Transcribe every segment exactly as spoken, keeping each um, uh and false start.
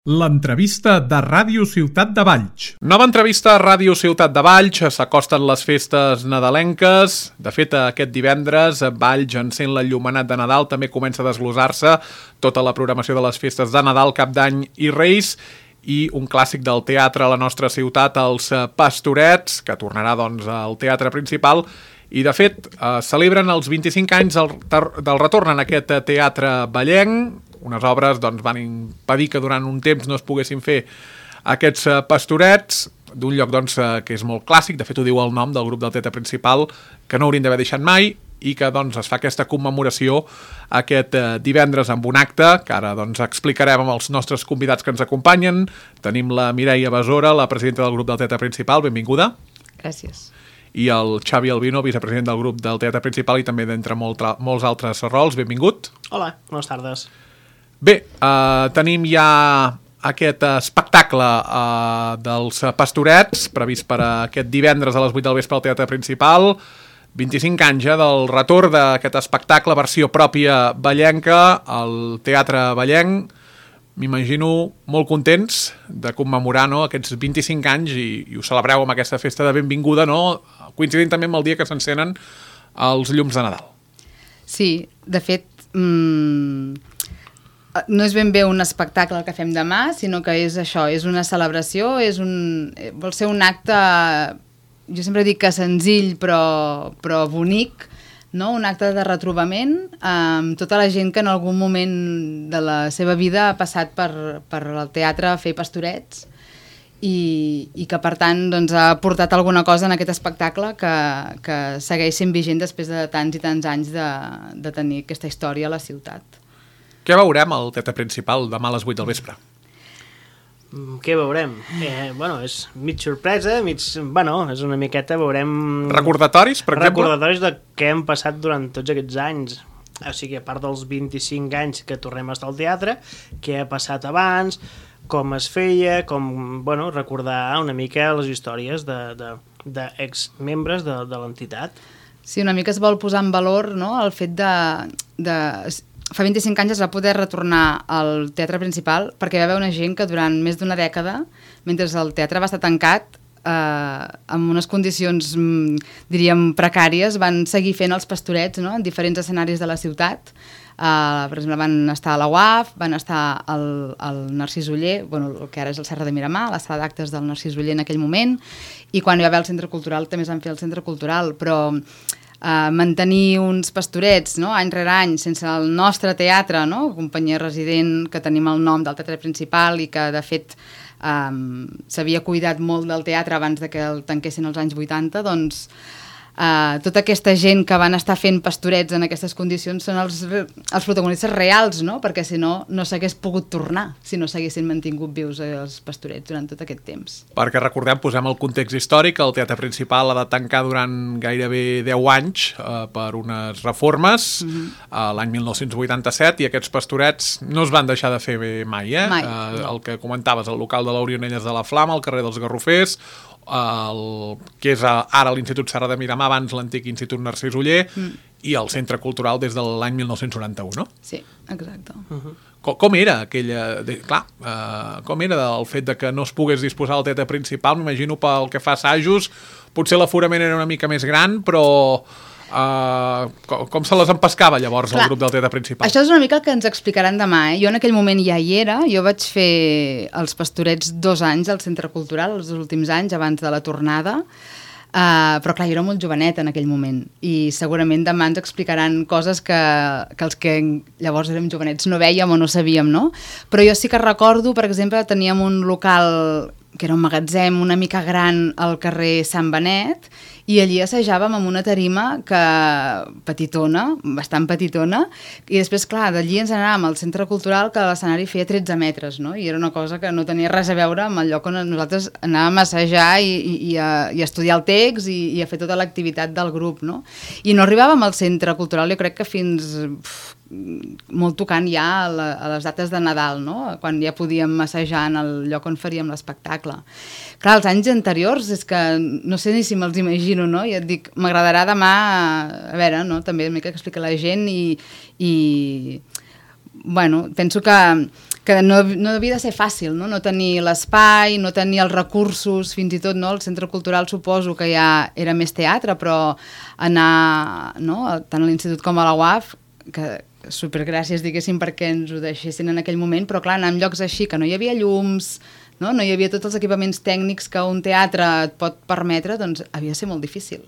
L'entrevista de Ràdio Ciutat de Valls. Nova entrevista a Ràdio Ciutat de Valls. S'acosten les festes nadalenques. De fet, aquest divendres Valls encén l'enllumenat de Nadal. També comença a desglossar-se tota la programació de les festes de Nadal, Cap d'Any i Reis. I un clàssic del teatre a la nostra ciutat, els Pastorets, que tornarà doncs al teatre principal. I de fet, eh, celebren els vint-i-cinc anys del, del retorn en aquest teatre vallenc. Unes obres doncs, van impedir que durant un temps no es poguessin fer aquests uh, pastorets d'un lloc doncs, uh, que és molt clàssic. De fet, ho diu el nom del grup del teatre principal, que no haurien d'haver deixat mai, i que doncs, es fa aquesta commemoració aquest uh, divendres amb un acte que ara doncs, explicarem amb els nostres convidats que ens acompanyen. Tenim la Mireia Besora, la presidenta del grup del teatre principal. Benvinguda. Gràcies. I el Xavi Albino, vicepresident del grup del teatre principal i també d'entre molt, molts altres rols. Benvingut. Hola, bones tardes. Bé, eh, tenim ja aquest espectacle eh, dels Pastorets, previst per aquest divendres a les vuit del vespre al Teatre Principal. vint-i-cinc anys ja del retorn d'aquest espectacle, versió pròpia vallenca, al Teatre Vallenc. M'imagino molt contents de commemorar no, aquests vint-i-cinc anys i, i ho celebreu amb aquesta festa de benvinguda, no? Coincidint també amb el dia que s'encenen els llums de Nadal. Sí, de fet... Mmm... no és ben bé un espectacle el que fem demà, sinó que és això, és una celebració, és un, vol ser un acte, jo sempre dic que senzill però, però bonic, no? Un acte de retrobament amb tota la gent que en algun moment de la seva vida ha passat per, per el teatre a fer pastorets i, i que per tant doncs, ha portat alguna cosa en aquest espectacle que, que segueix sent vigent després de tants i tants anys de, de tenir aquesta història a la ciutat. Què veurem al teatre principal demà a les vuit del vespre? Què veurem? Eh, bueno, és mig sorpresa, mig... Bueno, és una miqueta, veurem... Recordatoris, per exemple? Recordatoris de què hem passat durant tots aquests anys. O sigui, a part dels vint-i-cinc anys que tornem a estar al teatre, què ha passat abans, com es feia, com, bueno, recordar una mica les històries de, de, de exmembres de, de l'entitat. Sí, una mica es vol posar en valor, no?, el fet de... de... Fa vint-i-cinc anys es va poder retornar al teatre principal perquè hi va haver una gent que durant més d'una dècada, mentre el teatre va estar tancat, eh, amb unes condicions, diríem, precàries, van seguir fent els pastorets, no?, en diferents escenaris de la ciutat. Eh, per exemple, van estar a la U A F, van estar al, al Narcís Oller, bueno, el que ara és el Serra de Miramar, la sala d'actes del Narcís Oller en aquell moment, i quan hi va haver el Centre Cultural també es van fer el Centre Cultural, però... Uh, mantenir uns pastorets, no?, any rere any sense el nostre teatre, no?, companyia resident que tenim el nom del teatre principal i que de fet um, s'havia cuidat molt del teatre abans de que el tanquessin als anys vuitanta, doncs uh, tota aquesta gent que van estar fent pastorets en aquestes condicions són els, els protagonistes reals, no?, perquè si no, no s'hagués pogut tornar si no s'haguessin mantingut vius els pastorets durant tot aquest temps. Perquè recordem, posem el context històric, el teatre principal ha de tancar durant gairebé deu anys eh, per unes reformes, mm-hmm. eh, l'any mil nou-cents vuitanta-set, i aquests pastorets no es van deixar de fer bé mai, eh? Mai. Eh, el que comentaves, el local de l'Orionelles de la Flama, el carrer dels Garrofers, el, que és ara l'Institut Serra de Miramar, abans l'antic Institut Narcís Oller, mm. i el Centre Cultural des de l'any mil nou-cents noranta-u, no? Sí, exacte. Uh-huh. Com, com era aquella... De, clar, uh, com era el fet de que no es pogués disposar del teatre principal? M'imagino pel que fa assajos, potser l'aforament era una mica més gran, però... Uh, com, com se les empescava llavors Clar, el grup del teatre principal? Això és una mica el que ens explicaran demà, eh? Jo en aquell moment ja hi era, jo vaig fer els pastorets dos anys al Centre Cultural, els últims anys abans de la tornada, uh, però clar, jo era molt jovenet en aquell moment i segurament demà ens explicaran coses que, que els que llavors érem jovenets no vèiem o no sabíem, no? Però jo sí que recordo, per exemple, teníem un local que era un magatzem una mica gran al carrer Sant Benet, i allí assajàvem amb una tarima que petitona, bastant petitona, i després, clar, d'allí ens anàvem al Centre Cultural, que l'escenari feia tretze metres, no? I era una cosa que no tenia res a veure amb el lloc on nosaltres anàvem a assajar i, i, i, a, i a estudiar el text i, i a fer tota l'activitat del grup, no? I no arribàvem al Centre Cultural, jo crec que fins... Uf, molt tocant ja a, la, a les dates de Nadal, no?, quan ja podíem assajar en el lloc on faríem l'espectacle. Clar, els anys anteriors és que no sé ni si me'ls imagino, no? I et dic, m'agradarà demà, a veure, no?, també una mica que explica la gent i, i bueno, penso que, que no, no havia de ser fàcil, no? No tenir l'espai, no tenir els recursos, fins i tot, no? El centre cultural suposo que ja era més teatre, però anar, no? Tant a l'institut com a la U A F, que supergràcies, diguéssim, perquè ens ho deixessin en aquell moment, però clar, anar en llocs així, que no hi havia llums, no? No hi havia tots els equipaments tècnics que un teatre et pot permetre, doncs havia de ser molt difícil.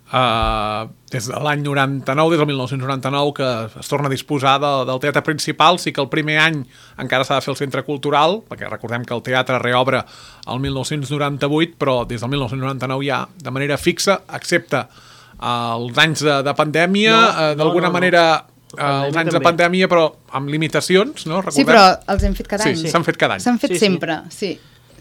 Uh, des de l'any noranta-nou, des del mil nou-cents noranta-nou, que es torna a disposar de, del teatre principal. Sí que el primer any encara s'ha de fer el centre cultural, perquè recordem que el teatre reobre el mil nou-cents noranta-vuit, però des del mil nou-cents noranta-nou ja de manera fixa, excepte uh, els anys de, de pandèmia, no, uh, d'alguna no, no, manera... No. Uh, els anys també. De pandèmia, però amb limitacions, no? Recordem? Sí, però els hem fet cada any. Sí, s'han fet cada any. S'han fet sí, sempre, sí.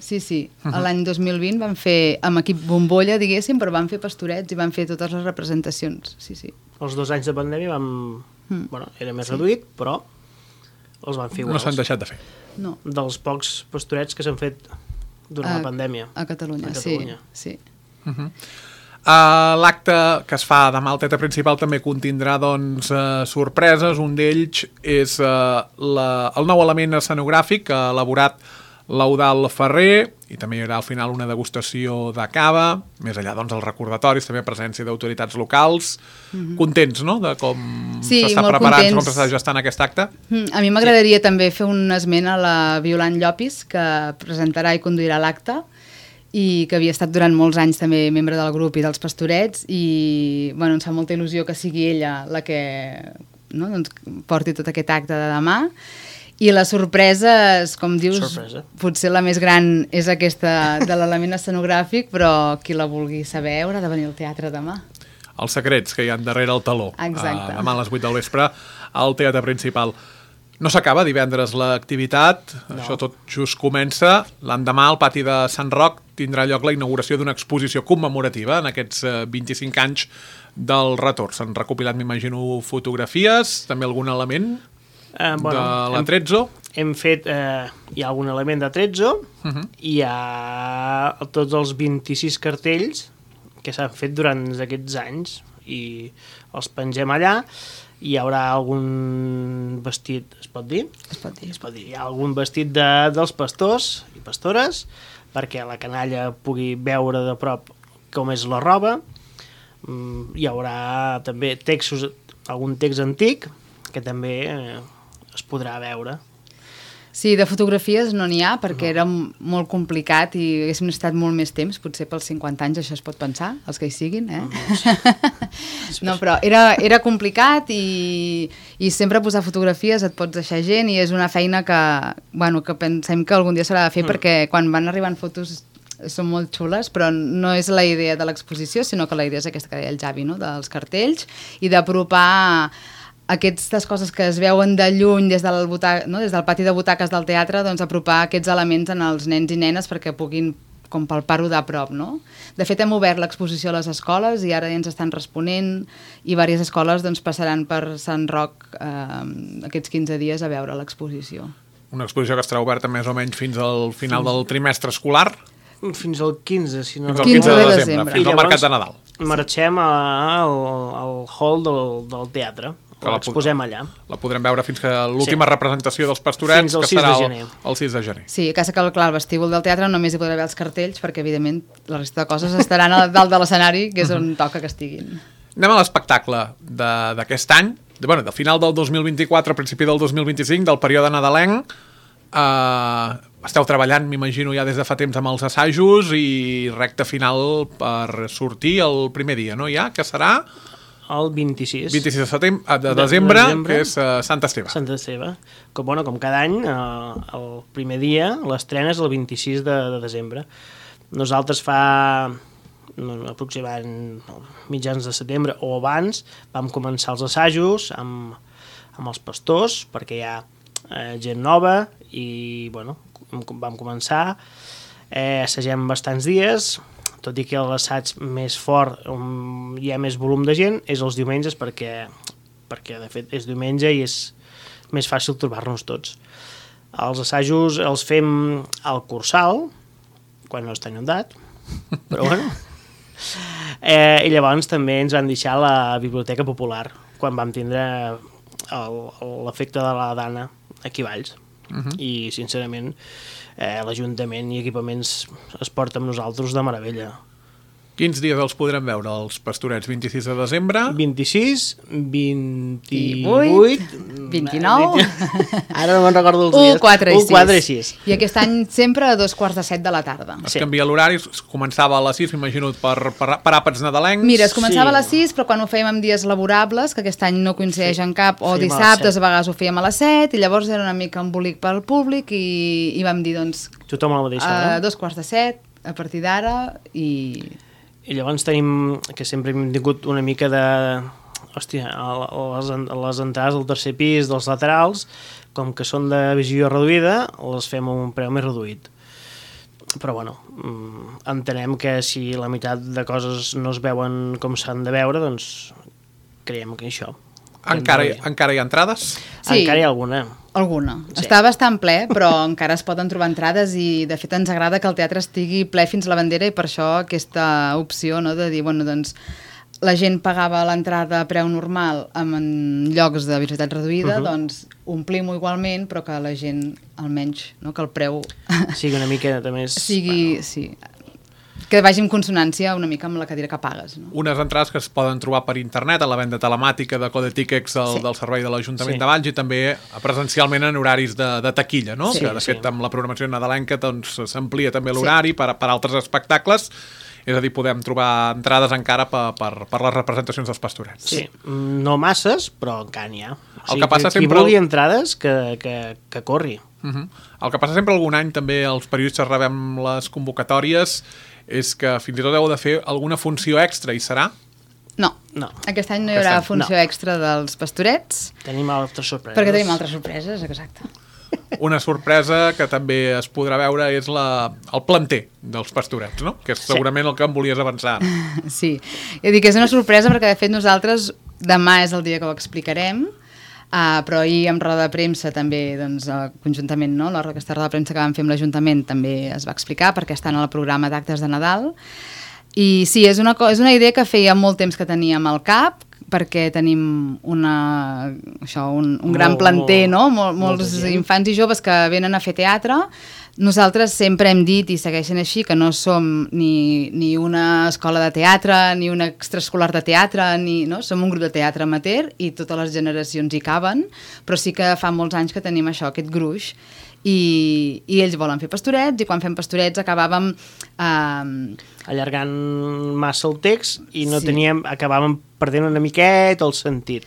Sí, sí. Uh-huh. L'any dos mil vint van fer, amb equip bombolla, diguéssim, però van fer pastorets i van fer totes les representacions. Sí, sí. Els dos anys de pandèmia vam... Mm. Bueno, era més sí. reduït, però els van fer iguals. No s'han deixat de fer. No. Dels pocs pastorets que s'han fet durant a, la pandèmia. A Catalunya, a Catalunya. sí. sí. Uh-huh. Uh, l'acte que es fa demà al teatre principal també contindrà doncs, uh, sorpreses. Un d'ells és uh, la, el nou element escenogràfic que ha elaborat l'Eudald Ferrer, i també hi haurà al final una degustació de cava, més enllà doncs els recordatoris, també presència d'autoritats locals. Mm-hmm. Contents, no?, de com sí, s'està preparant, contents. Com s'està gestant aquest acte. Mm, a mi m'agradaria sí. també fer un esment a la Violant Llopis, que presentarà i conduirà l'acte, i que havia estat durant molts anys també membre del grup i dels pastorets, i bueno, ens fa molta il·lusió que sigui ella la que no, doncs, porti tot aquest acte de demà. I les sorpreses, com dius, Sorpresa. Potser la més gran és aquesta de l'element escenogràfic, però qui la vulgui saber haurà de venir al teatre demà. Els secrets que hi ha darrere el taló. Exacte. Uh, demà a les vuit del vespre al teatre principal. No s'acaba divendres l'activitat, no. Això tot just comença. L'endemà al pati de Sant Roc tindrà lloc la inauguració d'una exposició commemorativa en aquests vint-i-cinc anys del retorn. S'han recopilat, m'imagino, fotografies, també algun element eh, bueno, de l'Atrezzo. Hem, hem fet, eh, hi ha algun element d'Atrezzo, uh-huh. Hi ha tots els vint-i-sis cartells que s'han fet durant aquests anys i els pengem allà. Hi haurà algun vestit, es pot dir? Es pot dir. Es pot dir. Hi ha algun vestit de, dels pastors i pastores perquè la canalla pugui veure de prop com és la roba. Hi haurà també textos, algun text antic que també eh, es podrà veure. Sí, de fotografies no n'hi ha perquè era molt complicat i haguéssim estat molt més temps, potser pels cinquanta anys això es pot pensar, els que hi siguin, eh? No, però era, era complicat i, i sempre posar fotografies et pots deixar gent i és una feina que, bueno, que pensem que algun dia s'haurà de fer mm. perquè quan van arribant fotos són molt xules, però no és la idea de l'exposició, sinó que la idea és aquesta que deia el Javi, no? Dels cartells i d'apropar aquestes coses que es veuen de lluny des del, butac, no? Des del pati de butaques del teatre, doncs apropar aquests elements en els nens i nenes perquè puguin com palpar-ho de prop, no? De fet, hem obert l'exposició a les escoles i ara ja ens estan responent i diverses escoles doncs, passaran per Sant Roc eh, aquests quinze dies a veure l'exposició. Una exposició que estarà oberta més o menys fins al final fins... del trimestre escolar? Fins al quinze, si no... Fins al quinze de desembre, fins al mercat de Nadal. Marxem a, al, al hall del, del teatre. Que la exposem allà. La podrem veure fins que l'última sí. representació dels pastorets, que serà el, el sis de gener. Sí, a casa que clar, el vestíbul del teatre només hi podrà veure els cartells, perquè evidentment la resta de coses estaran a dalt de l'escenari, que és on toca que estiguin. Anem a l'espectacle d'aquest any, de, bueno, del final del dos mil vint-i-quatre, a principi del dos mil vint-i-cinc, del període nadalenc. Uh, esteu treballant, m'imagino, ja des de fa temps amb els assajos i recta final per sortir el primer dia, no? Ja, que serà... El vint-i-sis. vint-i-sis de, setembre, de, de desembre, desembre, que és uh, Sant Esteve. Sant Esteve. Com, bueno, com cada any, uh, el primer dia, l'estrena és el vint-i-sis de, de desembre. Nosaltres fa no, aproximadament mitjans de setembre o abans vam començar els assajos amb, amb els pastors, perquè hi ha eh, gent nova i bueno, vam començar. Eh, assagem bastants dies, tot i que l'assaig més fort, on hi ha més volum de gent, és els diumenges perquè, perquè de fet és diumenge i és més fàcil trobar-nos tots. Els assajos els fem al Cursal, quan no està inundat, però bueno. Eh, I llavors també ens van deixar la Biblioteca Popular, quan vam tindre l'efecte de la Dana aquí a Valls. Uh-huh. I, sincerament, eh, l'Ajuntament i equipaments es porta amb nosaltres de meravella. Quins dies els podrem veure, els Pastorets? vint-i-sis de desembre? vint-i-sis, vint-i-vuit... vint-i-nou... Ara no me'n recordo els dies. u, quatre i sis. u, quatre i sis. I aquest any sempre a dos quarts de set de la tarda. Es sí. canvia l'horari, començava a les sis, m'imagino, per, per, per àpats nadalencs. Mira, es començava sí. a les sis, però quan ho fèiem en dies laborables, que aquest any no coincideix sí. en cap, o Fèiem dissabtes, a, a vegades ho fèiem a les set, i llavors era una mica embolic pel públic, i, i vam dir, doncs... Tothom a la mateixa hora. A dos quarts de set, a partir d'ara, i... I llavors tenim, que sempre hem tingut una mica de... Hòstia, les, les entrades del tercer pis, dels laterals, com que són de visió reduïda, les fem a un preu més reduït. Però, bueno, entenem que si la meitat de coses no es veuen com s'han de veure, doncs creiem que això... Encara, encara hi ha entrades? Sí. Encara hi ha alguna. Alguna. Sí. Està bastant ple, però encara es poden trobar entrades i, de fet, ens agrada que el teatre estigui ple fins a la bandera i per això aquesta opció, no?, de dir, bueno, doncs, la gent pagava l'entrada a preu normal en llocs de visibilitat reduïda, uh-huh. doncs omplim-ho igualment, però que la gent, almenys, no?, que el preu... Sigui una mica de més... Sigui, bueno. sí... que vagi en consonància una mica amb la cadira que pagues. No? Unes entrades que es poden trobar per internet a la venda telemàtica de Code Tickets del, sí. del servei de l'Ajuntament sí. de Valls i també presencialment en horaris de, de taquilla, no? Sí, que de sí. fet amb la programació nadalenca doncs, s'amplia també l'horari sí. per, per altres espectacles, és a dir, podem trobar entrades encara per, per, per les representacions dels Pastorets. Sí, no masses, però encara n'hi ha. O sigui, el que passa qui sempre... vulgui entrades, que, que, que corri. Uh-huh. El que passa sempre algun any també els periodistes rebem les convocatòries és que fins i tot heu de fer alguna funció extra, i serà? No, no. aquest any no hi haurà funció no. extra dels Pastorets. Tenim altres sorpreses. Perquè tenim altres sorpreses, exacte. Una sorpresa que també es podrà veure és la, el planter dels Pastorets, no? Que és segurament sí. el que em volies avançar. Sí, he dit que és una sorpresa perquè de fet nosaltres demà és el dia que ho explicarem, Uh, però ahir amb roda de premsa també, doncs, uh, conjuntament, no? Aquesta roda de premsa que vam fer amb l'Ajuntament també es va explicar perquè estan al programa d'actes de Nadal. I sí, és una, és una idea que feia molt temps que teníem al cap, perquè tenim una, això, un, un gran molt, planter, molt, no? Mol, molts infants i joves que venen a fer teatre. Nosaltres sempre hem dit, i segueixen així, que no som ni, ni una escola de teatre, ni un extraescolar de teatre, ni, no? Som un grup de teatre amateur i totes les generacions hi caben, però sí que fa molts anys que tenim això, aquest gruix, i, i ells volen fer Pastorets, i quan fem Pastorets acabàvem... Eh, allargant massa el text i no sí. teníem, acabàvem perdent una miqueta el sentit.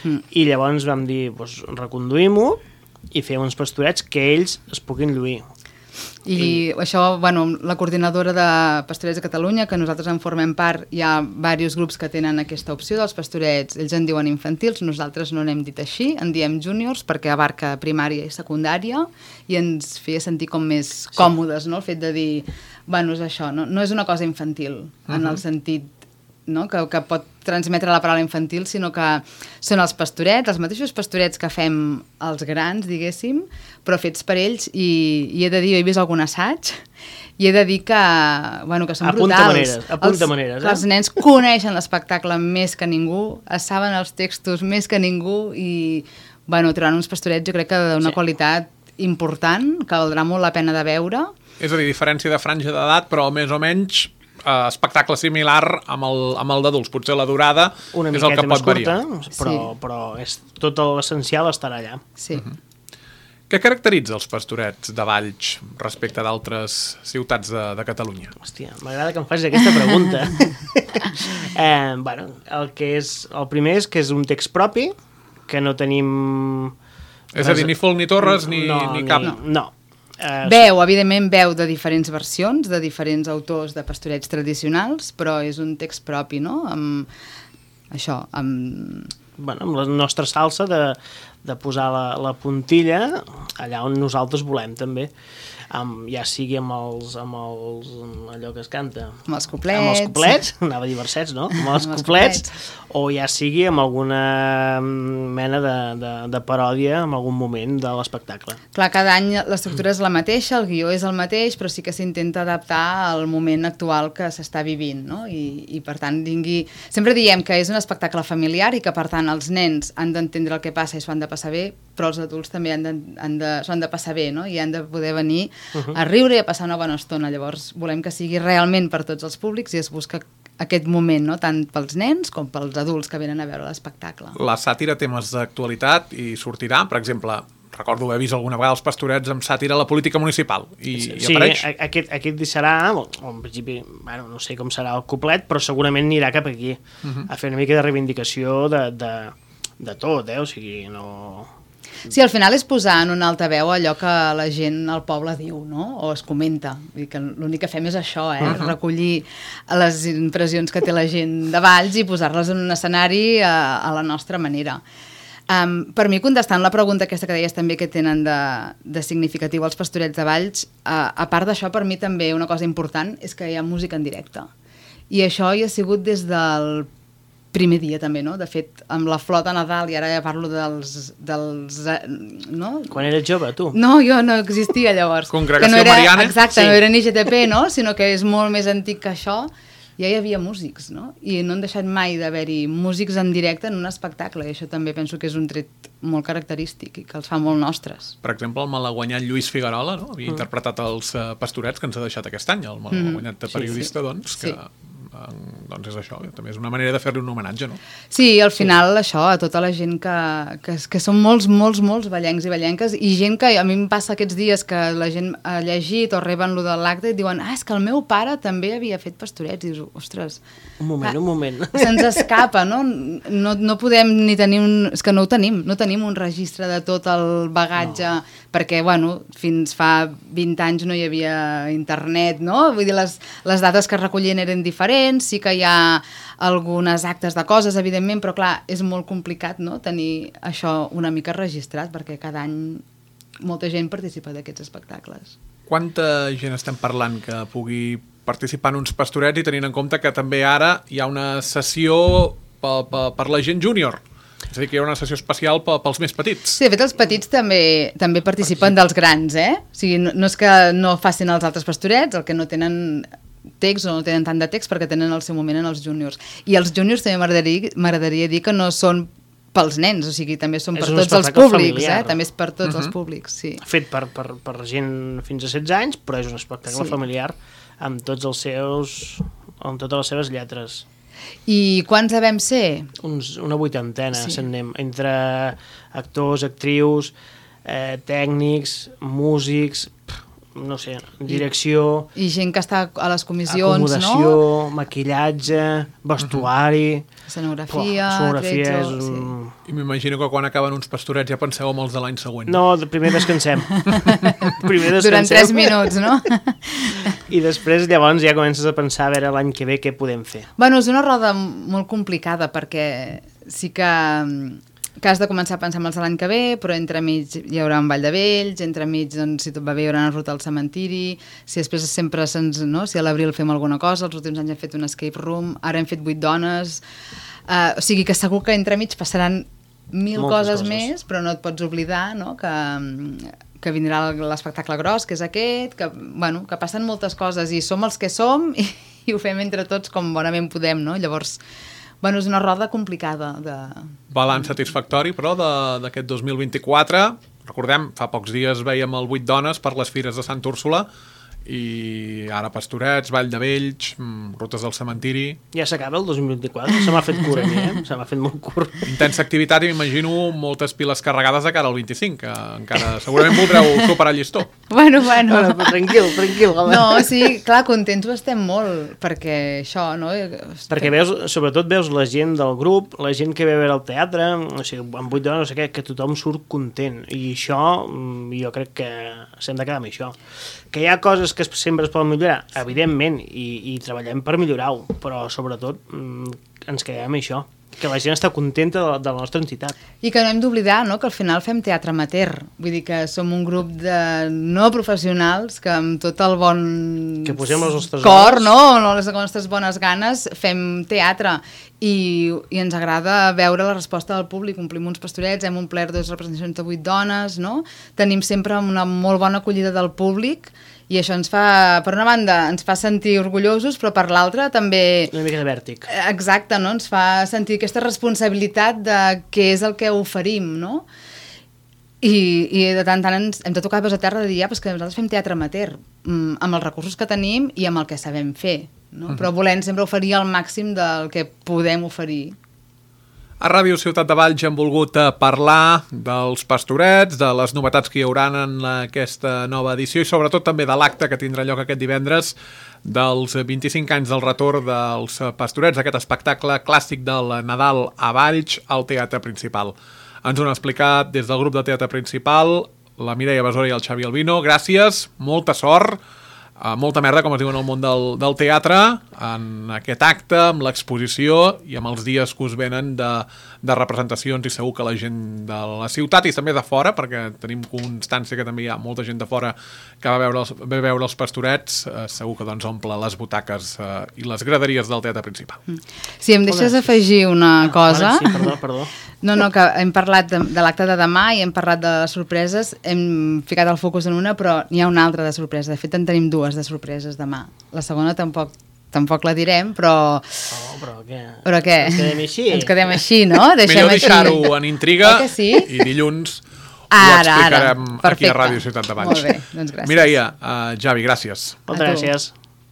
Mm. I llavors vam dir, doncs, reconduïm-ho i fer uns Pastorets que ells es puguin lluir. I, I això, bueno, la coordinadora de Pastorets de Catalunya, que nosaltres en formem part, hi ha diversos grups que tenen aquesta opció dels Pastorets, ells en diuen infantils, nosaltres no n'hem dit així, en diem júniors perquè abarca primària i secundària i ens feia sentir com més sí. còmodes, no? El fet de dir, bueno, és això, no, no és una cosa infantil, uh-huh. en el sentit, no? que, que pot transmetre la paraula infantil, sinó que són els Pastorets, els mateixos Pastorets que fem els grans, diguéssim, però fets per ells, i, i he de dir, jo he vist algun assaig, i he de dir que, bueno, que són apunta brutals. Maneres, apunta els, maneres, eh? Els nens coneixen l'espectacle més que ningú, es saben els textos més que ningú, i bueno, trobaran uns Pastorets jo crec que d'una sí. qualitat important, que valdrà molt la pena de veure. És a dir, diferència de franja d'edat, però més o menys... Uh, espectacle similar amb el, amb el d'adults. Potser la durada una és el que pot curta, variar. Però, sí. però és, tot l'essencial estarà allà. Sí. Uh-huh. Què caracteritza els Pastorets de Valls respecte d'altres ciutats de, de Catalunya? Hòstia, m'agrada que em facis aquesta pregunta. eh, bueno, el que és el primer és que és un text propi, que no tenim... És a dir, ni Folk ni Torres, ni, no, ni cap... No, no. Uh, veu, evidentment, veu de diferents versions, de diferents autors de Pastorets tradicionals, però és un text propi, no? Amb això, amb... Bueno, amb la nostra salsa de, de posar la, la puntilla allà on nosaltres volem, també. Amb, ja sigui amb els, amb els... amb allò que es canta. Amb els coplets. Amb els coplets, anava a dir versets, no? Amb els, amb els coplets, coplets. O ja sigui amb alguna mena de, de, de paròdia en algun moment de l'espectacle. Clar, cada any l'estructura és la mateixa, el guió és el mateix, però sí que s'intenta adaptar al moment actual que s'està vivint, no? I, i per tant, vingui... Sempre diem que és un espectacle familiar i que, per tant, els nens han d'entendre el que passa i s'ho han de de passar bé, però els adults també han de, han de, s'han de passar bé, no? I han de poder venir uh-huh. a riure i a passar una bona estona. Llavors volem que sigui realment per tots els públics i es busca aquest moment, no? Tant pels nens com pels adults que venen a veure l'espectacle. La sàtira té temes d'actualitat i sortirà, per exemple, recordo haver vist alguna vegada els Pastorets amb sàtira a la política municipal i, sí, i apareix. Sí, aquest, aquest serà, o, o en principi, bueno, no sé com serà el cuplet, però segurament anirà cap aquí, uh-huh. a fer una mica de reivindicació de, de, de tot, eh? O sigui, no... Sí, al final és posar en un altaveu allò que la gent al poble diu, no? O es comenta. Vull dir que l'únic que fem és això, eh? Uh-huh. Recollir les impressions que té la gent de Valls i posar-les en un escenari a, a la nostra manera. Um, per mi, contestant la pregunta aquesta que deies també que tenen de, de significatiu els Pastorets de Valls, uh, a part d'això, per mi també una cosa important és que hi ha música en directe. I això hi ha sigut des del primer dia també, no? De fet, amb la flota Nadal, i ara ja parlo dels... dels no? Quan eres jove, tu? No, jo no existia llavors. Congregació que no era, Mariana? Exacte, Sí. no era ni G T P, no? Sinó que és molt més antic que això. Ja hi havia músics, no? I no han deixat mai d'haver-hi músics en directe en un espectacle, i això també penso que és un tret molt característic i que els fa molt nostres. Per exemple, el malaguanyat Lluís Figuerola, no? Havia mm. interpretat els uh, Pastorets que ens ha deixat aquest any, el malaguanyat mm. periodista, sí, sí. doncs, que... Sí. doncs és això, també és una manera de fer-li un homenatge, no? Sí, al final sí. Això, a tota la gent que, que, que són molts, molts, molts ballencs i ballenques, i gent que a mi em passa aquests dies que la gent ha llegit o reben lo de l'acte i diuen, ah, és que el meu pare també havia fet Pastorets, i dius, ostres... Un moment, ah, un moment. Se'ns escapa, no? No, no podem ni tenir un... És que no ho tenim, no tenim un registre de tot el bagatge, no. Perquè, bueno, fins fa vint anys no hi havia internet, no? Vull dir, les, les dades que recollien eren diferents, sí que hi ha algunes actes de coses, evidentment, però clar, és molt complicat, no?, tenir això una mica registrat, perquè cada any molta gent participa d'aquests espectacles. Quanta gent estem parlant que pugui participar en uns Pastorets i tenint en compte que també ara hi ha una sessió per, per, per la gent júnior? És a dir, que hi ha una sessió especial pels més petits. Sí, de fet, els petits també també participen dels grans, eh? O sigui, no, no és que no facin els altres Pastorets, el que no tenen text o no tenen tant de text perquè tenen el seu moment en els júniors. I els júniors també m'agradaria m'agradaria dir que no són pels nens, o sigui, també són és per tots els públics, familiar. eh? També és per tots uh-huh. els públics, sí. Fet per, per, per gent fins a setze anys, però és un espectacle sí. familiar amb tots els seus... amb totes les seves lletres. I quants devem ser? Uns, una vuitantena, sí. s'anem, entre actors, actrius, eh, tècnics, músics, pff, no sé, direcció... I, I gent que està a les comissions, acomodació, no? maquillatge, vestuari... Uh-huh. Escenografia... Poh, escenografia tretze, és un... sí. I m'imagino que quan acaben uns Pastorets ja penseu en els de l'any següent. No, primer descansem. primer descansem. Durant tres minuts, no? I després llavors ja comences a pensar a veure l'any que ve què podem fer. Bueno, és una roda molt complicada perquè sí que, que has de començar a pensar en els de l'any que ve, però entremig hi haurà un ball de vells, entremig, doncs, si tot va bé, hi haurà una ruta al cementiri, si després sempre se'ns... No? Si a l'abril fem alguna cosa, els últims anys hem fet un escape room, ara hem fet vuit dones... Uh, o sigui que segur que entremig passaran mil coses, coses més, però no et pots oblidar, no? que, que vindrà l'espectacle gros, que és aquest, que, bueno, que passen moltes coses i som els que som i, i ho fem entre tots com bonament podem, no? Llavors, bueno, és una roda complicada. De... Balanç satisfactori, però, d'aquest dos mil vint-i-quatre. Recordem, fa pocs dies veiem el vuit dones per les fires de Sant Úrsula, i ara Pastorets, Vall de Vells, rutes del cementiri... Ja s'acaba el dos mil vint-i-quatre, se m'ha fet curt a mi, eh? Se m'ha fet molt curt. Intensa activitat i m'imagino moltes piles carregades de cara al vint-i-cinc, que encara segurament voldreu superar el llistó. Bueno, bueno. bueno tranquil, tranquil. Home. No, sí, clar, contents ho estem molt, perquè això, no? Perquè veus, sobretot veus la gent del grup, la gent que ve a veure el teatre, o sigui, amb vuit dones, no sé què, que tothom surt content, i això, jo crec que s'hem de quedar amb això. Que hi ha coses que sempre es poden millorar, evidentment, i, i treballem per millorar-ho, però sobretot ens quedem amb això, que la gent està contenta de la, de la nostra entitat. I que no hem d'oblidar, no?, que al final fem teatre amateur, vull dir que som un grup de no professionals que amb tot el bon que posem les nostres cor, no?, les nostres bones ganes, fem teatre i, i ens agrada veure la resposta del públic. Omplim uns Pastorets, hem omplert dues representacions de vuit dones, no?, tenim sempre una molt bona acollida del públic. I això ens fa, per una banda, ens fa sentir orgullosos, però per l'altra també... Una mica de vèrtic. Exacte, no? Ens fa sentir aquesta responsabilitat de què és el que oferim, no? I, i de tant en tant ens, hem de tocar peus a terra de dir, ja, però és que nosaltres fem teatre amateur, mm, amb els recursos que tenim i amb el que sabem fer, no? Uh -huh. Però volem sempre oferir el màxim del que podem oferir. A Ràdio Ciutat de Valls hem volgut parlar dels Pastorets, de les novetats que hi haurà en aquesta nova edició i sobretot també de l'acte que tindrà lloc aquest divendres dels vint-i-cinc anys del retorn dels Pastorets, aquest espectacle clàssic del Nadal a Valls al Teatre Principal. Ens ho han explicat des del grup de Teatre Principal la Mireia Besora i el Xavi Albino. Gràcies, molta sort, Uh, molta merda, com es diu en el món del, del teatre, en aquest acte, amb l'exposició i amb els dies que us venen de, de representacions, i segur que la gent de la ciutat i també de fora, perquè tenim constància que també hi ha molta gent de fora que va veure els, va veure els Pastorets, uh, segur que doncs omple les butaques uh, i les graderies del Teatre Principal. Si em deixes afegir una Ah, cosa... vale, sí, perdó, perdó. No, no, que hem parlat de, de l'acte de demà i hem parlat de les sorpreses, hem ficat el focus en una, però n'hi ha una altra de sorpresa. De fet, en tenim dues de sorpreses demà. La segona tampoc tampoc la direm, però... Oh, però què? Però què? Ens quedem així? Ens quedem així, no? Deixem Millor així. deixar-ho en intriga Eh que sí? i dilluns Ara, ho explicarem ara. aquí a Perfecte. Ràdio Ciutat de Valls. Molt bé, doncs gràcies. Mireia, uh, Javi, gràcies. Moltes A tu. gràcies.